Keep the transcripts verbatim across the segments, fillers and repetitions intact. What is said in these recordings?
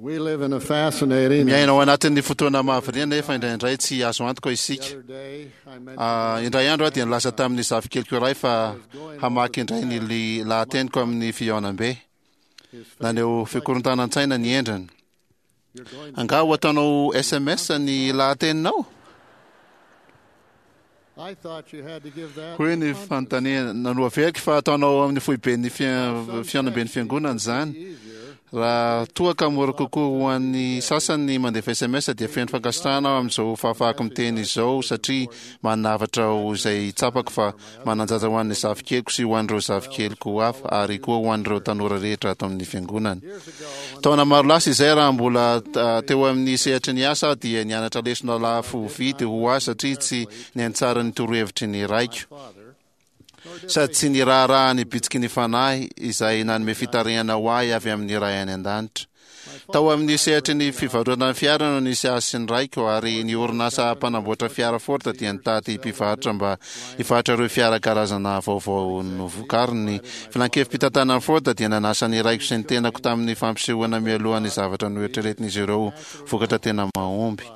We live in a fascinating. Miaina ao anatin'ny fotoana mahavariana nefa indraindray tsy azo antoka The isika. other day, I mentioned Ah, indray andro aho dia nilaza tamin'ny zafikeliko iray fa hamaky indray ny li- lahateniko amin'ny fihaonambe. his Naneho fikorontanan-tsaina ny endriny. You're going to, Angaha ho ataonao S M S ny lahateninao? I thought you had to give that. Hoy ny to conference. fanontaniana nanoaveriko fa ataonao amin'ny foiben'ny fia- fihaonamben'ny fiangonana izany. Easier Raha toa ka mora kokoa ho an'ny sasany ny mandefa S M S dia feno fankasitrahana aho amin'izao fahafahako miteny izao satria manavatra ho izay tsapako fa manan-danja ho an'ny zafikeliko sy ho an'ireo zafikeliko hafa ary koa ho an'ireo tanora rehetra ato amin'ny fiangonana. Years ago, when Taona maro lasa izay, raha mbola ah, teo amin'ny sehatry ny asa aho, dia nianatra lesona lafo vidy ho ahy satria tsy niantsara ny torohevitry ny raiko father, nor did sady tsy ny raharaha ny bitsiky ny fanahy izay nanome fitarihana ho ahy avy amin'ny ray any an-danitra. Tao amin'ny sehatry ny fivarotana fiara no nisy ahy sy ny raiko, ary ny orinasa mpanamboatra fiara Ford dia nitady mpivarotra mba hivarotra ireo fiara karazana vaovao novokariny. Filan-kevi-pitantanan'ny Ford dia nanasa ny raiko sy ny tenako tamin'ny fampisehoana mialoha ny zavatra noeritreretin'izy ireo vokatra tena mahomby.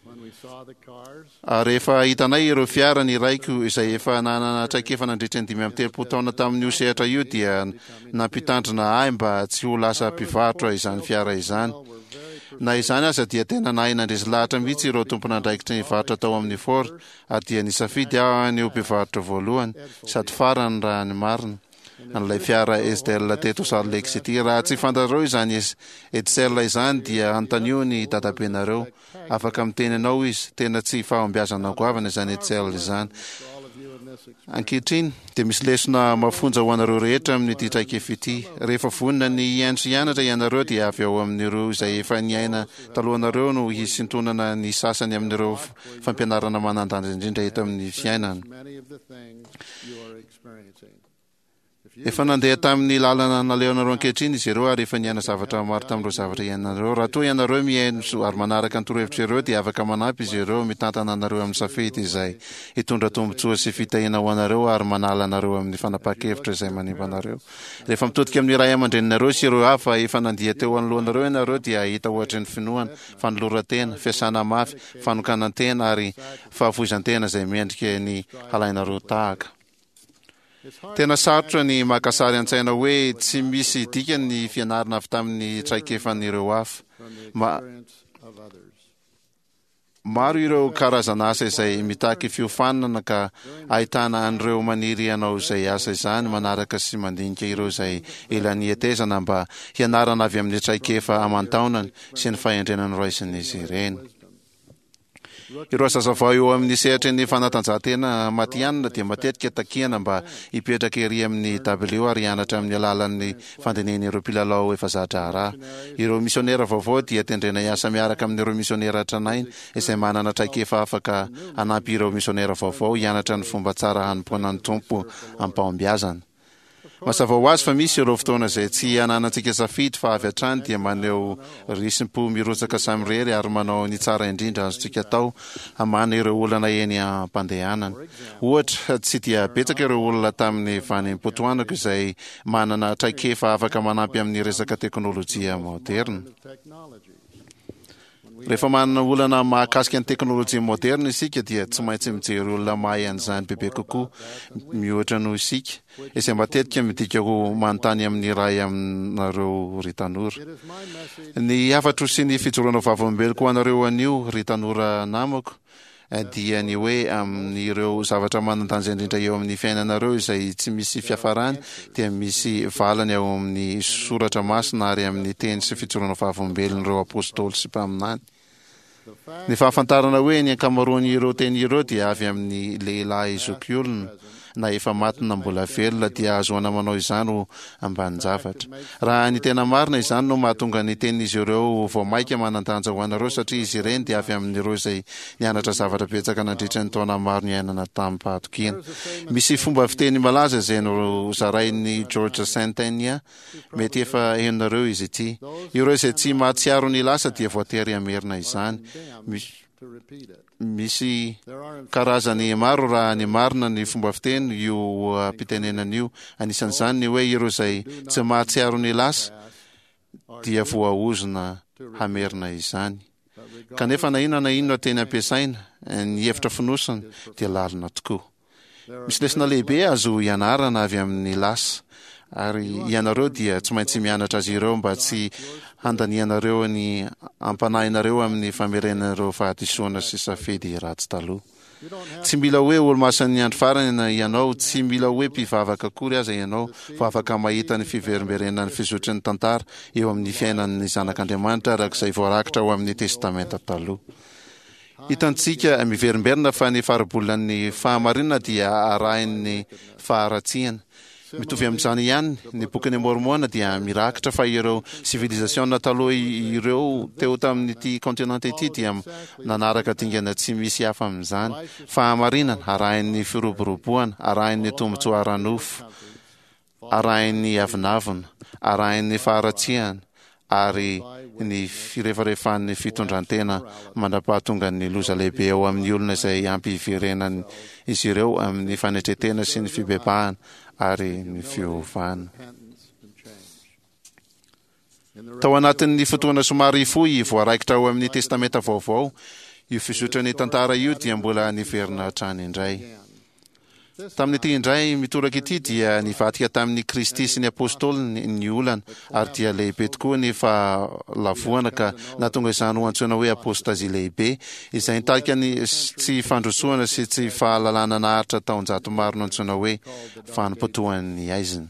When we saw the cars, Ary rehefa hitanay ireo fiara, ny raiko izay efa nanana traikefa nandritra ny dimy amby telopolo taona tamin'io sehatra io dia nampitandrina ahy mba tsy ho lasa mpivarotra izany fiara izany. were very Na izany aza dia tena nahay nandresy lahatra mihitsy ireo tompon'andraikitra ny varotra tao amin'ny Ford, ary dia nisafidy aho ny ho mpivarotra voalohany sady farany, raha ny marina, an'ilay fiara Edsel teto Salt Lake City. Raha tsy fantatrareo izany Edsel izany dia anontanio ny dadabenareo, afaka miteny anao izy. Tena tsy fahombiazana goavana izany Edsel izany. For all of you in this experience. Ankehitriny dia misy lesona mafonja ho anareo rehetra amin'ity traikefa ity. Rehefa vonona ny hihaino sy hianatra ianareo, dia avy ao amin'ireo izay efa niaina talohanareo no hisintonana ny sasany amin'ireo fampianarana manan-danja indrindra eto amin'ny fiainana. Many of the things you are experiencing. If you Efa nandeha tamin'ny lalana nalehanareo ankehitriny izy ireo ary efa niaina zavatra maro tamin'ireo zavatra iainanareo. Raha toa ianareo mihaino so- ary manaraka ny torohevitra ireo, dia afaka manampy izy ireo mitantana anareo amin'ny safidy izay hitondra tombontsoa sy fitahiana ho anareo ary manala anareo amin'ny fanapahan-kevitra izay manimba anareo. Rehefa mitodika amin'ny ray aman-dreninareo sy ireo hafa efa nandia teo anoloanareo ianareo, dia hahita ohatry ny finoana, fanoloran-tena, fiasana mafy, fanokanan-tena ary fahafoizan-tena izay mendrika ny halainareo tahaka. It's hard Tena sarotra ny maka sary an-tsaina hoe tsy misy dikany ny fianarana avy tamin'ny traikefan'ireo hafa. From the Ma- experience of others. Maro ireo karazana asa izay mitaky fiofanana ka ahitana an'ireo maniry hanao izay asa izany manaraka sy mandinika ireo izay ela nihetezana mba hianarana avy amin'ny traikefa aman-taonany sy ny fahendrena noraisin'izy ireny. Ireo zazavao eo amin'ny sehatry ny fanatanjahantena matihanina dia matetika takiana mba hipetraka ery amin'ny dabilio ary hianatra amin'ny alalan'ny fandinihan'ireo mpilalao efa za-draharaha. Ireo misionera vaovao dia tendrena hiasa miaraka amin'ireo misionera tranainy izay manana traikefa afaka hanampy ireo misionera vaovao hianatra ny fomba tsara hanompoana ny Tompo am-pahombiazana. Mazava ho azy fa misy ireo fotoana izay tsy ananantsika safidy fa avy hatrany dia maneho risi-po mirotsaka samirery ary manao ny tsara indrindra azontsika atao hamahana ireo olana eny am-pandehanana. Ohatra, tsy dia betsaka ireo olona tamin'ny vanim-potoanako izay manana traikefa afaka manampy amin'ny resaka teknôlôjia moderna. Technologies. Rehefa manana olana mahakasika ny teknôlôjia moderna isika, dia tsy maintsy mijery olona mahay an'izany bebe kokoa mihoatra noho isika, izay matetika midika ho manontany amin'ny ray aminareo, ry tanora. It is my message Ny hafatro sy ny fijoroana vavolombeloko ho anareo anio, ry tanora namako, eh, dia ny hoe amin'ireo zavatra manan-danja indrindra eo amin'ny fiainanareo izay tsy misy fiafarany dia misy valiny ao amin'ny soratra masina ary amin'ny teny sy fijoroana vavolombelon'ireo apôstôly sy mpaminany. The fact Ny fahafantarana hoe ny ankamaroan'ireo teny ireo dia avy amin'ny lehilahy zokiolona na efa maty na mbola velona dia ahazoana manao izany ho ambanin-javatra. Raha ny tena marina, izany no mahatonga ny tenin'izy ireo vao maika manan-danja ho anareo, satria izy ireny dia avy amin'ireo izay nianatra zavatra betsaka nandritra ny taona maro niainana tamin'ny-pahatokiana. Misy fomba fiteny malaza izay no zarain'ny George Santayana, mety efa henonareo izy ity: "Ireo izay tsy mahatsiaro ny lasa dia voatery hamerina izany." Misy to repeat it. Misy There are in karazany maro, raha ny marina, ny fomba fiteny io uh, pitenenana io. Anisan'izany ny hoe ireo izay tsy mahatsiaro ny lasa past dia voaozona hamerina izany. Kanefa na inona na inona teny ampiasaina, ny hevitra fonosana dia lalina tokoa. Misy lesona lehibe azo ianarana avy amin'ny lasa, ary ianareo dia tsy maintsy mianatra azy ireo mba tsy handanianareo ny ampanahinareo amin'ny famerenanareo fahadisoana sy safidy ratsy taloha. Tsy mila hoe olomasin'ny andro farany ianao, tsy mila hoe mpivavaka akory aza ianao, fa afaka mahita ny fiverimberenan'ny fizotry ny tantara eo amin'ny fiainan'ny zanak'Andriamanitra araka izay voarakitra ao amin'ny Testamenta Taloha. Hitantsika miverimberina fa ny faribolan'ny fahamarinana dia arahin'ny faharatsiana. Mitovy amin'izany ihany, ny Bokin'i Môrmôna dia mirakitra fa ireo sivilizasiona taloha ireo teo tamin'ity kontinanta ity dia nanaraka dingana tsy misy hafa amin'izany: fahamarinana arahin'ny firoboroboana, arahin'ny tombontsoa ara-nofo, arahin'ny avonavona, arahin'ny faharatsiana, ary ny firefarefan'ny fitondran-tena mandra-pahatongan'ny loza lehibe eo amin'ny olona izay hampiverenan'izy ireo amin'ny fanetren-tena sy ny fibebahana ary ny fiovana. Tao anatin'ny fotoana somary fohy voaraikitra ao amin'ny Testamenta Vaovao, io fizotran'ny tantara io dia mbola niverina hatrany indray. Tamin'ity indray mitoraka ity dia nivadika tamin'i Kristy sy ny apôstôliny ny olana, ary dia lehibe tokoa ny fahalavoana ka nahatonga izany ho antsoina hoe apôstazia lehibe, izay nitarika ny tsy fandrosoana sy tsy fahalalana naharitra taonjato maro nantsoina hoe vanim-potoan'ny haizina.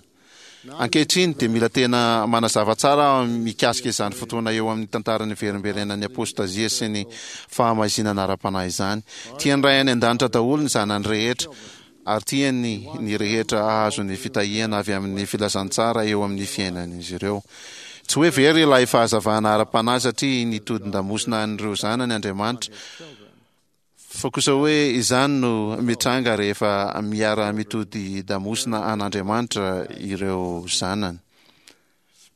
Ankehitriny dia mila tena manazava tsara aho mikasika izany fotoana eo amin'ny tantaran'ny verimberenan'ny apôstazia sy ny fahamaizinana ara-panahy izany. Tian'ny Ray any An-danitra daholo ny zanany rehetra, ary tiany ny rehetra hahazo ny fitahiana avy amin'ny filazantsara eo amin'ny fiainan'izy ireo. Tsy hoe very ilay fahazavana ara-panahy satria nitodin-damosina an'ireo zanany Andriamanitra, Fa kosa hoe izany no mitranga rehefa miara-mitodi-damosina an'Andriamanitra ireo zanany.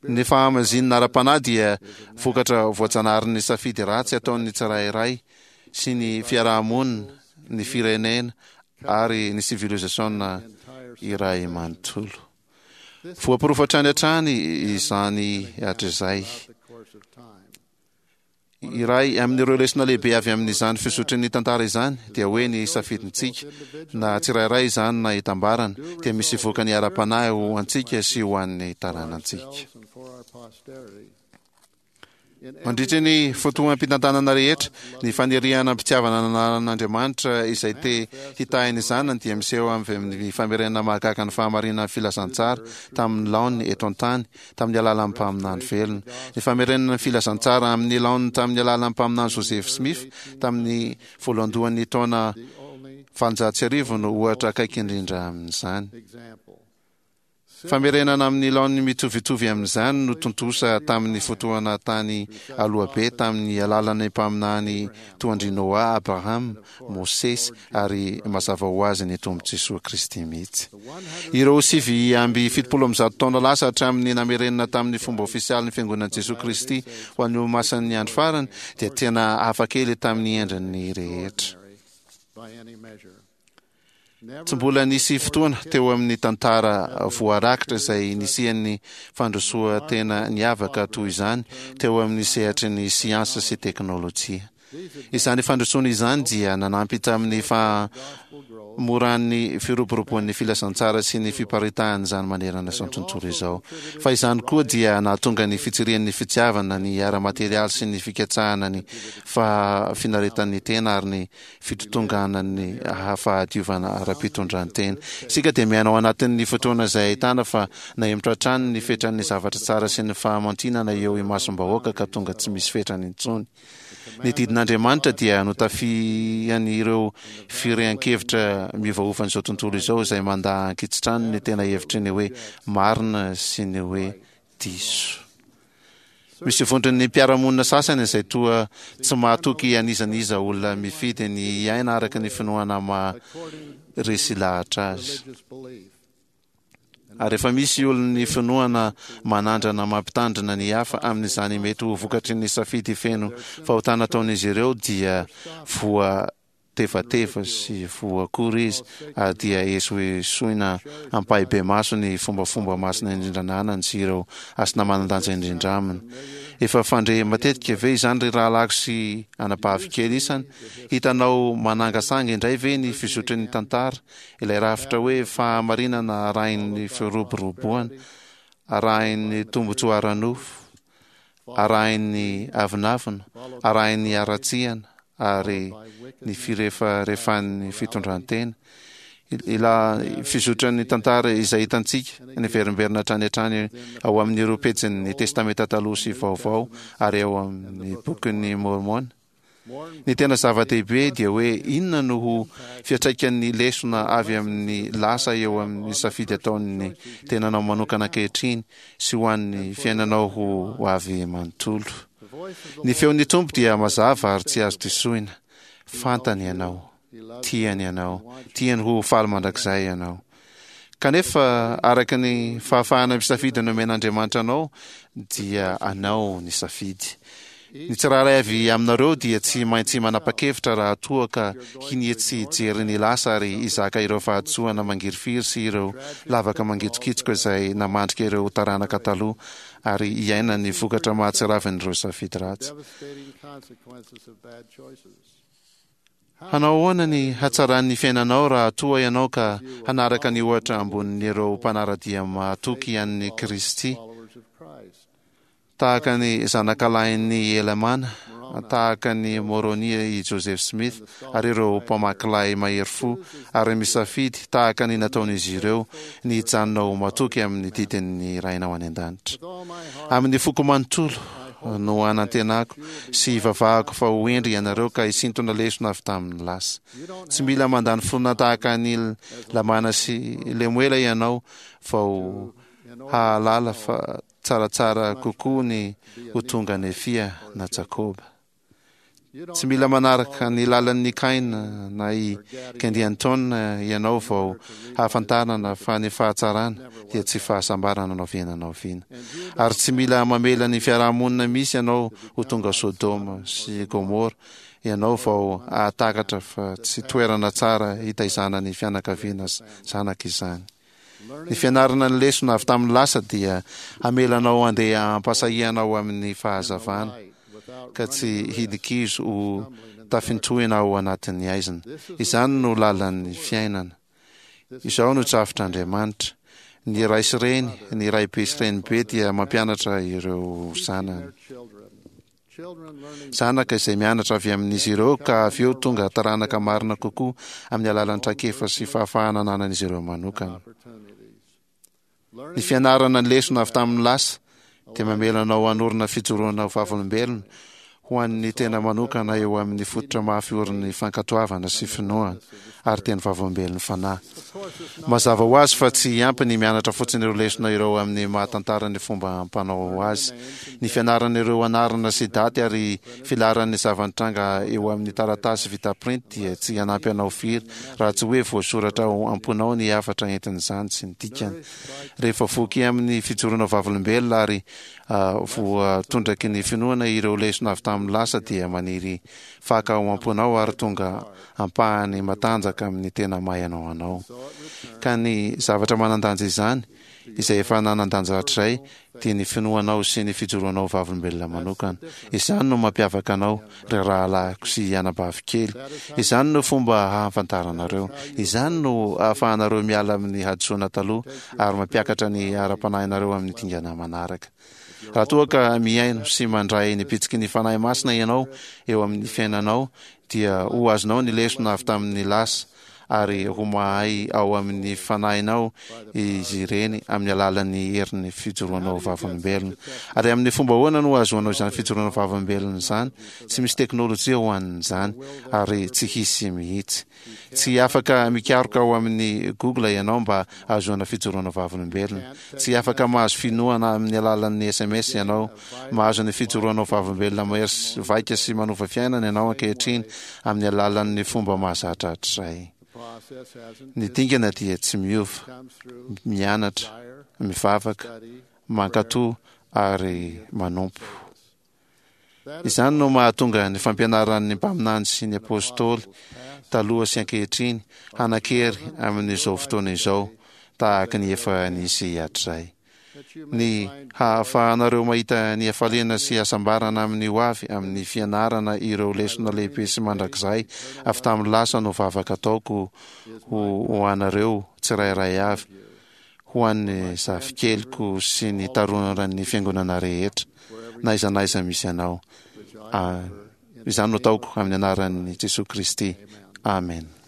Ny fahamazinana ara-panahy dia vokatra voajanaharin'ny safidy ratsy ataon'ny tsirairay sy ny fiaraha-monina, ny firenena ary ny sivilizasiona iray manontolo. Voaporofo hatrany hatrany izany hatrizay. Iray amin'ireo lesona lehibe avy amin'izany fizotry ny tantara izany dia hoe ny safidintsika, na tsirairay izany na itambarana, dia misy vokany ara-panahy ho antsika sy ho an'ny taranantsika. Mandritra ny fotoam-pitantanana rehetra, ny faniriana am-pitiavana ananan'Andriamanitra izay te hitahy ny zanany dia miseho avy amin'ny famerenana mahagaga ny fahamarinan'ny filazantsara tamin'ny laoniny eto an-tany tamin'ny alalan'ny mpaminany velona. Ny famerenana ny filazantsara amin'ny laoniny tamin'ny alalan'ny mpaminany Joseph Smith tamin'ny voalohandohan'ny taona valonjato sy arivo no ohatra akaiky indrindra amin'izany. Famerenana amin'ny laoniny mitovitovy amin'izany no tontosa tamin'ny fotoana tany aloha be tamin'ny alalan'ny mpaminany toa an-dry Noa, Abrahama, Mosesy ary mazava ho azy ny Tompo Jesoa Kristy mihitsy. Ireo sivy amby fitopolo amby zato taona lasa hatramin'ny namerenana tamin'ny fomba ofisialy ny Fiangonan'i Jesoa Kristy ho an'ny Olomasin'ny Andro Farany dia tena hafakely tamin'ny endriny rehetra. Tsy mbola nisy fotoana teo amin'ny tantara voarakitra izay nisian'ny fandrosoan-tena niavaka toy izany teo amin'ny sehatry ny siansa sy teknolojia. Izany fandrosoana izany dia nanampy tamin'ny fahamoran'ny firoboroboan'ny filazantsara sy ny fiparitahan'izany manerana izao tontolo izao. Fa izany koa dia nahatonga ny fitsirian'ny fitiavana ny ara-materialy sy ny fikatsahana ny fahafinaretan'ny tena ary ny fitotonganan'ny fahadiovana ara-pitondran-tena. Isika dia miaina ao anatin'ny fotoana izay ahitana fa nahemotra hatrany ny fetran'ny zavatra tsara sy ny fahamantinana eo imasom-bahoaka ka tonga tsy misy fetrany intsony. Ny didin'Andriamanitra dia notafihan'ireo firehan-kevitra miovaovan'izao tontolo izao izay mandà ankitsitrano ny tena hevitry ny hoe marina sy ny hoe diso. Misy vondron'ny mpiara-monina sasany izay toa tsy mahatoky an'iza n'iza olona mifidy ny hiaina araka ny finoana maha resy lahatra azy. Ary rehefa misy olon'ny finoana manandrana mampitandrina ny hafa amin'izany mety ho vokatry ny safidy feno fahotana ataon'izy ireo dia voa voatevateva sy voakora izy, ary dia esoesoina ampahibemaso ny fombafomba masina indrindra ananany sy ireo hasina manan-danja indrindra aminy. Efa fandre matetika ve izany, ry rahalahiko sy anabavy kely isany? Hitanao manangasanga indray ve ny fizotry ny tantara, ilay rafitra hoe fahamarinana arahin'ny firoboroboana, arahin'ny tombontsoa ara-nofo, arahin'ny avonavona, arahin'ny haratsiana, ary ny firefarefan'ny fitondran-tena? Ilay fizotran'ny tantara izay hitantsika niverimberina hatrany hatrany ao amin'ireo pejin'ny Testamenta Taloha sy Vaovao ary ao amin'ny Bokin'i Môrmôna. Ny tena zava-dehibe dia hoe inona no ho fiantraikan'ny lesona avy amin'ny lasa eo amin'ny safidy ataon'ny tenanao manokana ankehitriny sy ho an'ny fiainanao ho avy manontolo. Ny feon'ny Tompo dia mazava ary tsy azo disoina. Fantany ianao. Tiany ianao. Tiany ho faly mandrakizay ianao. Kanefa, araka ny fahafahana misafidy nomen'Andriamanitra anao, dia anao ny safidy. Ny tsirairay avy aminareo dia tsy maintsy manapa-kevitra raha toa ka hinia tsy hijery ny lasa ary hizaka ireo fahadisoana mangirifiry sy ireo lavaka mangitsokitsoka izay namandrika ireo taranaka taloha ary hiaina ny vokatra mahatsiravin'ireo safidy ratsy. Hanao ahoana ny hatsaran'ny fiainanao raha toa ianao ka hanaraka ny ohatra ambonin'ireo mpanara-dia mahatoky an'i Kristy, tahaka ny zanakalahin'i Helamàna, tahaka an'i Môrônia, i Joseph Smith, ary ireo mpamakilahy mahery fo, ary misafidy, tahaka ny nataon'izy ireo, ny hijanona ho matoky amin'ny didin'ny Rainao any An-danitra? Amin'ny foko manontolo no anantenako sy ivavahako fa ho hendry ianareo ka hisintona lesona avy tamin'ny lasa. Tsy mila mandany finoana tahaka an'i Lamàna sy Lemoela ianao vao hahalala fa tsaratsara kokoa ny ho tonga Nefia na Jakoba. Tsy mila manaraka ny lalan'i Kaina na i Kendianton ianao vao hahafantarana fa ny fahatsarana dia tsy fahasambarana na oviana na oviana. Ary tsy mila mamela ny fiaraha-monina misy anao ho tonga Sodoma sy Gomora ianao vao hahatakatra fa tsy toerana tsara hitaizana ny fianakaviana zanaka izany. Ny fianarana ny lesona avy tamin'ny lasa dia hamela anao handeha am-pahasahiana ao amin'ny fahazavana, ka tsy hidi-kizo ho tafintohina ao anatin'ny haizina. Izany no lalan'ny fiainana. Izao no drafitr'Andriamanitra. Ny ray sy reny, ny raibe sy renibe dia mampianatra ireo zanany. Zanaka izay mianatra avy amin'izy ireo ka avy eo tonga taranaka marina kokoa amin'ny alalan'ny traikefa sy fahafahana ananan'izy ireo manokana. Ny fianarana ny lesona avy tamin'ny lasa dia mamela anao hanorina fijoroana ho vavolombelona ho an'ny tena manokana eo amin'ny fototra mafy orin'ny fankatoavana sy finoana ary teny vavolombelon'ny Fanahy. Mazava ho azy fa tsy ampy ny mianatra fotsiny ireo lesona ireo amin'ny maha-tantara ny fomba ampanao azy. Ny fianarana ireo anarana sy daty ary filaharan'ny zava-nitranga eo amin'ny taratasy vita printy dia tsy hanampy anao firy raha tsy hoe voasoratra ao am-ponao ny hafatra entin'izany sy ny dikany. Rehefa voky amin'ny fijoroana vavolombelona ary voatondraky ny finoana ireo lesona avy tamin'ny lasa dia maniry faka ao am-ponao ary tonga ampahany matanjaka amin'ny tena maha ianao anao. Ka ny zavatra manan-danja izany, izay efa nanan-danja hatrizay, dia ny finoanao sy ny fijoroanao vavolombelona manokana. Izany no mampiavaka anao, ry rahalahiko sy anabavy kely. Izany no fomba hahafantaranareo. Izany no ahafahanareo miala amin'ny hadisoana taloha ary mampiakatra ny ara-panahinareo amin'ny dingana manaraka. Raha toa ka mihaino sy mandray ny bitsiky ny Fanahy Masina ianao eo amin'ny fiainanao, dia ho azonao ny lesona avy tamin'ny lasa ary ho mahay ao amin'ny fanahinao izy ireny amin'ny alalan'ny herin'ny fijoroanao vavolombelona. Ary amin'ny fomba ahoana no ahazoanao izany fijoroana vavolombelona izany? Tsy misy teknolojia ho an'izany ary tsy hisy mihitsy. Tsy afaka mikaroka ao amin'ny Google ianao mba hahazoana fijoroana vavolombelona. Tsy afaka mahazo finoana amin'ny alalan'ny sms ianao. Mahazo ny fijoroanao vavolombelona mahery vaika sy manova fiainana ianao ankehitriny amin'ny alalan'ny fomba mahazatra hatrizay. Ny dingana dia tsy miova, mianatra, mivavaka, mankatò ary manompo. Izany no mahatonga ny fampianaran'ny mpaminany sy ny apostoly taloha sy ankehitriny hanan-kery amin'izao fotoana izao tahaka ny efa nisy hatrizay. That you may Ny find hahafahanareo mahita ny hafaliana sy hasambarana amin'ny ho avy amin'ny fianarana ireo lesona lehibe sy mandrakizay avy tamin'ny lasa no vavaka ataoko ho ho anareo tsirairay avy, ho an'ny zafikeliko sy ny taroran'ny fiangonana rehetra na aiza na aiza misy anao. Which I Ah, offer in izany no the name ataoko amin'ny anaran'i Jesosy Kristy. Amen. Amen.